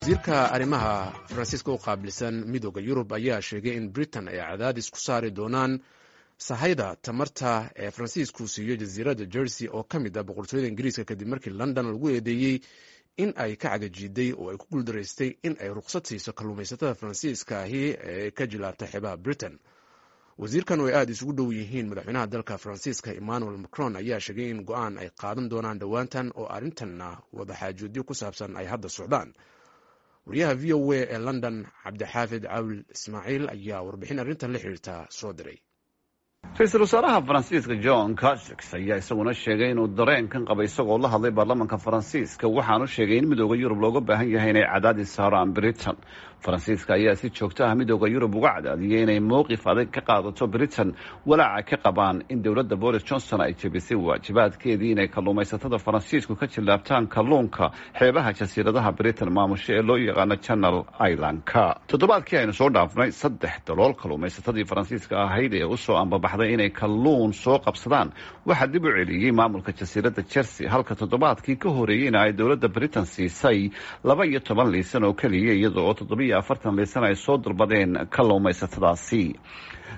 Wasiirka arrimaha Faransiiska u qaabilsan Midooda Yurub ayaa sheegay in Britain ay cadaadis ku saari doonaan sahayda tamarta ee Faransiisku siiyo jasiiradda Jersey oo ka mid ah Boqortooyada Ingiriiska, kadib markii London lagu eedeeyey in ay ka cagajiiday oo ay ku guuldaraystay in ay ruqsad siiso kalluumaysatada Faransiiska ahi ee ka jilaabta xeebaha Britain. Wasiirkan oo ay aada isugu dhow yihiin madaxweynaha dalka Faransiiska Emmanuel Macron ayaa sheegay in go-aan ay qaadan doonaan dhowaantan oo arrintanna wadaxaajoodyo ku saabsan ay hadda socdaan. Wariyaha VOA ee London, Cabdixaafid Cawil Ismaaciil, ayaa warbixin arrintan la xiriirta soo diray. Ra-iisul wasaaraha Faransiiska Jean Castex ayaa isaguna sheegay inuu dareenkan qaba, isagoo la hadlay baarlamanka Faransiiska. Waxaanu sheegay in Midooda Yurub looga baahan yahay inay cadaadis saaraan Britain. Faransiiska ayaa si joogto ah Midooda Yurub uga cadaadiyay inay mowqif adag ka qaadato Britain, walaaca ka qabaan in dowladda Boris Johnson ay jebisay waajibaadkeedii inay kalluumaysatada Faransiisku ka jillaabtaan kalluunka xeebaha jasiiradaha Britain maamusho ee loo yaqaano Channel Islandka. Toddobaadkii aynu soo dhaafnay, saddex dalool kalluumaysatadii Faransiiska ahayd ee usoo ambabaxday inay kalluun soo qabsadaan waxaa dib u celiyey maamulka jasiiradda Jersey, halka toddobaadkii ka horeeyeyna ay dowladda Britain siisay 12 liisan oo keliya, iyada oo 47 liisan ay soo dalbadeen kalluumaysatadaasi.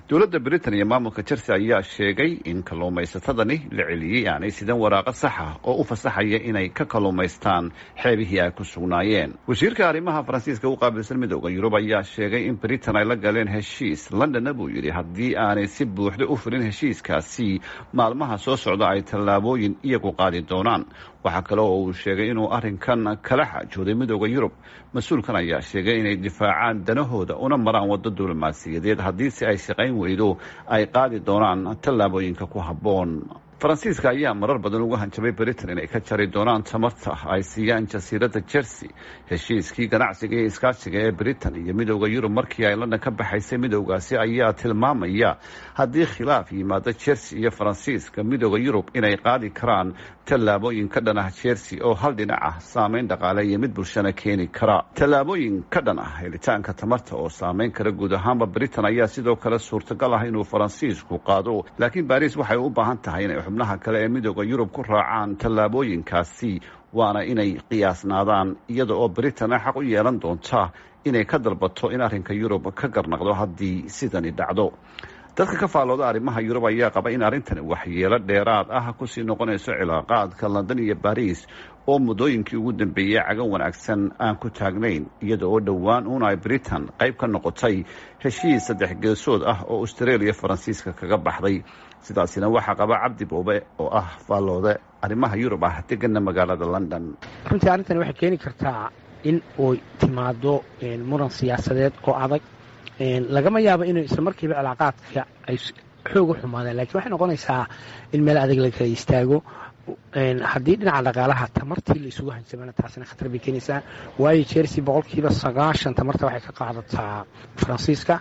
Dowladda Britain iyo maamulka Jersey ayaa sheegay in kalluumaysatadani la celiyey aanay sidan waraaqo saxa oo u fasaxaya inay ka kalluumaystaan xeebihii ay ku sugnaayeen. Wasiirka arrimaha Faransiiska u qaabilsan Midooda Yurub ayaa sheegay in Britain ay la galeen heshiis Londonna, buu yidhi, haddii aanay si buuxda u fulin heshiiskaasi maalmaha soo socda ay tallaabooyin iyagu qaadi doonaan. Waxaa kale oo uu sheegay inuu arrinkan kala xaajooday Midooda Yurub. Mas-uulkan ayaa sheegay inay difaacaan danahooda una maraan waddo diblomaasiyadeed, haddiise ay shaqayn weydo ay qaadi doonaan tallaabooyinka ku habboon. Faransiiska ayaa marar badan uga hanjabay Britain inay ka jari doonaan tamarta ay siiyaan jasiiradda Jersey. Heshiiskii ganacsiga iyo iskaashiga ee Britain iyo Midooda Yurub markii ay London ka baxaysay midowgaasi ayaa tilmaamaya haddii khilaaf yimaado Jersey iyo Faransiiska, Midooda Yurub inay qaadi karaan tallaabooyin ka dhan ah Jersey oo hal dhinac ah, saameyn dhaqaale iyo mid bulshana keeni kara. Tallaabooyin ka dhan ah helitaanka tamarta oo saameyn kara guud ahaanba Britain ayaa sidoo kale suurtagal ah inuu Faransiisku qaado, laakiin Baris waxay u baahan tahay inay xubnaha kale ee Midooda Yurub ku raacaan tallaabooyinkaasi, waana inay qiyaasnaadaan, iyada oo Britain xaq u yeelan doonta inay ka dalbato in arrinka Yurub ka garnaqdo haddii sidani dhacdo. Dadka ka faallooda arrimaha Yurub ayaa qaba in arrintani waxyeelo dheeraad ah kusii noqonayso cilaaqaadka London iyo Baris oo muddooyinkii ugu dambeeyey cagan wanaagsan aan ku taagnayn, iyada oo dhowaan uun ay Britain qayb ka noqotay heshiis saddex geesood ah oo Australia Faransiiska kaga baxday. Sidaasina waxaa qaba Cabdi Boobe oo ah faalloode arrimaha Yurub ah, degana magaalada London. Runtii arrintani waxay keeni kartaa in uy timaado muran siyaasadeed oo adag. Lagama yaabo inay isla markiiba cilaaqaadka ay xoog u xumaadeen, lakin waxay noqonaysaa in meel adag la kala istaago. Haddii dhinaca dhaqaalaha tamartii la isugu hanjabana, taasina khatar bay keenaysaa, waayo Jersey 90% tamarta waxay ka qaadataa Faransiiska.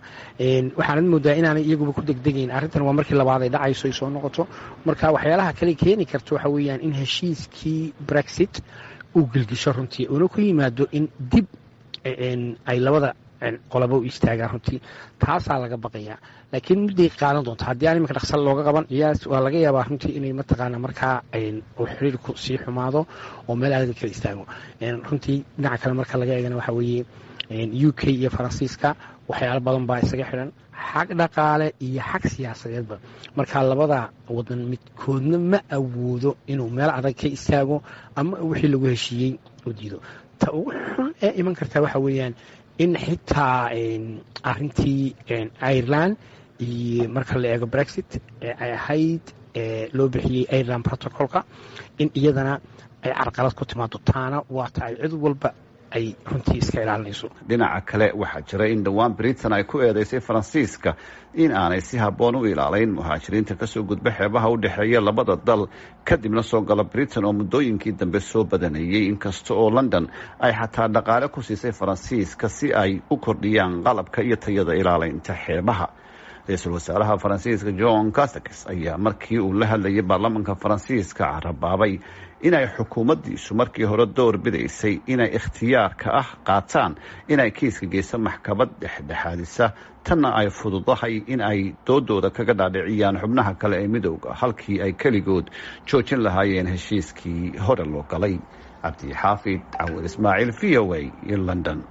Waxaanad moodaa inaanay iyaguba ku degdegayn arrintan. Waa markii labaad ay dhacayso ay soo noqoto. Marka waxyaalaha kale keeni karta waxa weeyaan in heshiiskii Brexit uu gelgisho runtii, uuna ku yimaado in dib ay labada qolaba u istaagaan. Runtii taasaa laga baqayaa, laakiin mudday qaadan doonta haddii aan iminka dhaqsal looga qaban. Yaas, waa laga yaabaa runtii inay mataqaana markaa uu xiriirku sii xumaado oo meel adag kala istaago. Runtii dhinaca kale marka laga eegana, waxa weeye UK iyo Faransiiska waxyaalo badan baa isaga xidhan, xag dhaqaale iyo xag siyaasadeedba. Marka labada wadan midkoodna ma awoodo inuu meel adag ka istaago ama wixii lagu heshiiyey u diido. Ta ugu xun ee iman kartaa waxa weeyaan in xitaa arintii Ireland iyo marka la eego Brexit ee ay ahayd loo bixiyey Ireland Protocolka in iyadana ay carqalad ku timaado. Taana waa ta ay cid walba ay runtii iska ilaalinayso. Dhinaca kale, waxaa jira in dhowaan Britain ay ku eedeysay Faransiiska in aanay si habboon u ilaalayn muhaajiriinta kasoo gudba xeebaha u dhexeeya labada dal kadibna soo gala Britain oo muddooyinkii dambe soo badanayey, inkasta oo London ay xataa dhaqaale ku siisay Faransiiska si ay u kordhiyaan qalabka iyo tayada ilaalaynta xeebaha. Ra-iisul wasaaraha Faransiiska Jean Castex ayaa markii uu la hadlayay baarlamanka Faransiiska carabaabay inay xukuumaddiisu markii hore door bidaysay inay ikhtiyaarka ah qaataan inay kiiska geyso maxkamad dhexdhexaadisa, tanna ay fududahay in ay doodooda kaga dhaadhiciyaan xubnaha kale ee midowda halkii ay keligood joojin lahaayeen heshiiskii hore loo galay. Cabdixaafid Cawil Ismaaciil, V O A, London.